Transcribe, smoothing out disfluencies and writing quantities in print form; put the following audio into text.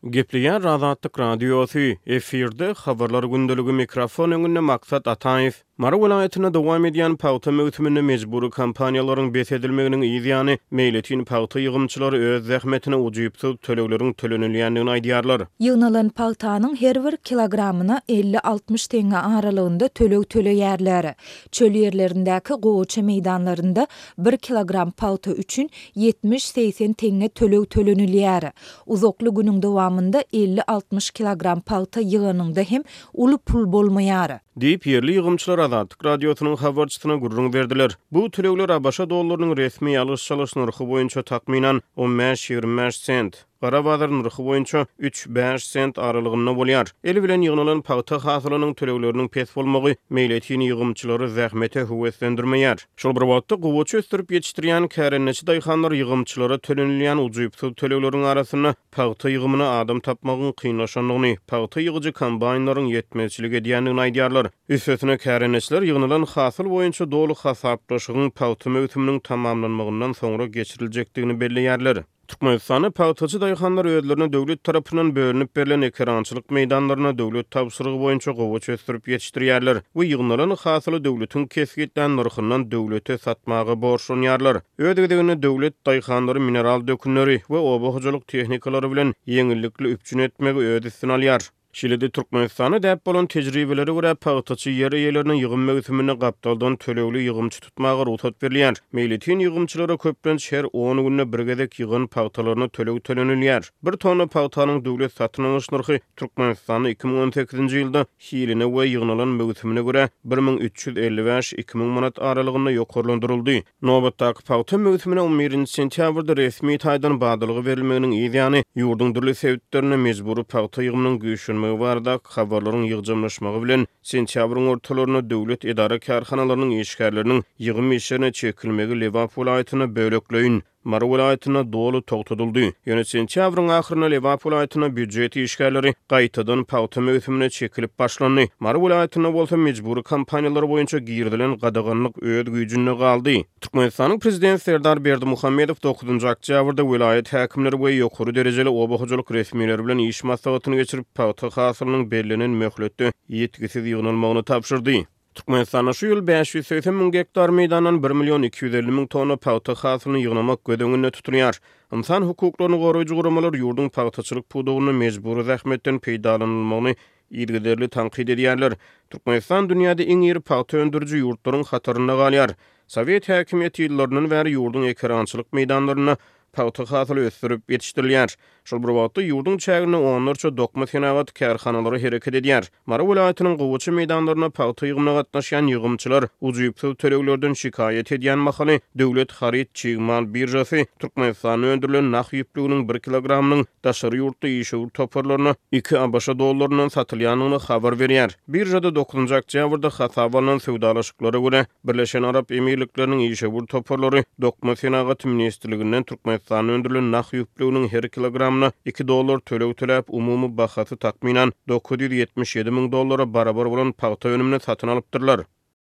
Gepleýär Azatlyk Radiosy, efirde Habarlar gündeligi mikrofon öňünde Maksat Ataýew. Mary welaýatynda dowam edýän pagta möwsüminde mejbury kampaniýalaryň bes edilmeginiň yz ýany, meýletin pagta ýygymçylary öz zähmetine ujypsyz tölegleriň tölenilýändigini aýdýarlar. Ýygnalan pagtanyň her bir kilogramyna 50-60 teňňe aralygynda töleg töleýärler. Çöl ýerlerindäki gowaça meýdanlarynda bir kilogram pagta üçin 70-80 teňňe töleg tölenilýär. Uzakly günüň dowamynda 50-60 kilogram pagta ýyganyňda hem uly pul bolmaýar. Diýip, ýerli ýygymçylar Azatlyk Radiosynyň habarçysyna gürrüň berdiler. Bu tölegler ABŞ dollarynyň resmi alyş-çalyş nyrhy boýunça takmynan on bäş-ýigrimi bäş sent, gara bazar nyrhy boýunça üç-bäş sent aralygynda bolýar. El bilen ýygnalan pagta hasylynyň tölegleriniň pes bolmagy meýletin ýygymçylary zähmete höweslendirmeýär. Şol bir wagtda, gowaça ösdürip ýetişdirýän kärendeçi daýhanlar ýygymçylara tölenilýän ujypsyz tölegleriň arasynda pagta ýygymyna adam tapmagyň kynlaşandygyny, pagta ýygyjy kombaýnlaryň ýetmezçilik edýändigini aýdýarlar. Üstesine, kärendeçiler ýygnalan hasyl boýunça doly hasaplaşygyň pagta möwsüminiň tamamlanmagyndan soňra geçiriljekdigini belleýärler. Türkmenistanda pagtaçy daýhanlar özlerine döwlet tarapyndan bölünip berlen ekerançylyk meýdanlarynda döwlet tabşyrygy boýunça gowaça ösdürip ýetişdirýärler we ýygnalan hasyly döwletiň kesgitlän nyrhyndan döwlete satmaga borçlanýarlar. Öz gezeginde döwlet daýhanlary mineral dökünleri we oba hojalyk tehnikalary bilen ýeňillikli üpjün etmegi öz üstüne alýar. Şeýle-de Türkmenistanda däp bolan tejribelere görä, pagtaçy ýer eýelerine ýygym möwsüminde gapdaldan tölegli ýygymçy tutmaga rugsat berilýär. Meýletin ýygymçylara köplenç her on günde bir gezek ýygan pagtalaryna töleg tölenilýär. Bir tonna pagtanyň döwlet satyn alyş nyrhy Türkmenistanda 2018-nji ýylda hiline we ýygnalan möwsümine görä 1355, 2000 manat aralygynda ýokarlandyryldy. Nobatdaky pagta möwsümine on birinji sentýabrda resmi taýdan badalga berilmeginiň yz ýany, ýurduň dürli sebitlerinde mejbury pagta ýygymynyň güýçlenmegi baradaky habarlaryň ýygjamlaşmagy bilen, sentýabryň ortalarynda döwlet edara-kärhanalarynyň işgärleriniň ýygym işlerine çekilmegi Lebap welaýatynda bölekleýin, Mary welaýatynda doly togtadyldy. Ýöne sentýabryň ahyrynda Lebap welaýatynda býujet işgärleri gaýtadan pagta möwsümine çekilip başlandy. Mary welaýatynda bolsa mejbury kampaniýalar boýunça girizilen gadaganlyk öz güýjünde galdy. Türkmenistanyň Prezidenti Serdar Berdimuhamedow dokuzynjy oktýabrda welaýat häkimleri we ýokary derejeli oba hojalyk resmileri bilen iş maslahatyny geçirip, pagta hasylynyň bellenen möhletde ýitgisiz ýygnalmagyny tabşyrdy. Türkmenistanda şu ýyl 580 müň gektar meýdandan bir million 250 müň tonna pagta hasylyny ýygnamak göz öňünde tutulýar. Ynsan hukuklaryny goraýjy guramalar ýurduň pagtaçylyk pudagynda mejbury zähmetden peýdalanylmagyny yzygiderli tankyt edýärler. Türkmenistan dünýäde iň iri pagta öndüriji ýurtlaryň hatarynda galýar. Sowet häkimiýeti ýyllaryndan bäri ýurduň ekerançylyk meýdanlarynda pagta hasyly ösdürip ýetişdirilýär. Şol bir wagtda, ýurduň çäginde onlarça dokma senagat kärhanalary hereket edýär. Mary welaýatynyň gowaça meýdanlarynda pagta ýygymyna gatnaşýan ýygymçylar ujypsyz töleglerden şikaýat edýän mahaly, döwlet haryt çig mal biržasy Türkmenistanda öndürilen nah ýüplüginiň bir kilogramynyň daşary ýurtly işewür toparlaryna iki ABŞ dollaryndan satylýandygyny habar berýär. Biržada dokuzynjy oktýabrda hasaba alnan söwdalaşyklara görä, Birleşen Arap Emirlikleriniň işewür toparlary Dokma senagaty ministrliginden Türkmenistanda öndürilen nah ýüplüginiň her kilogramyna iki dollar töleg töläp, umumy bahasy takmynan 977 müň dollara barabar bolan pagta önümini satyn alypdyrlar.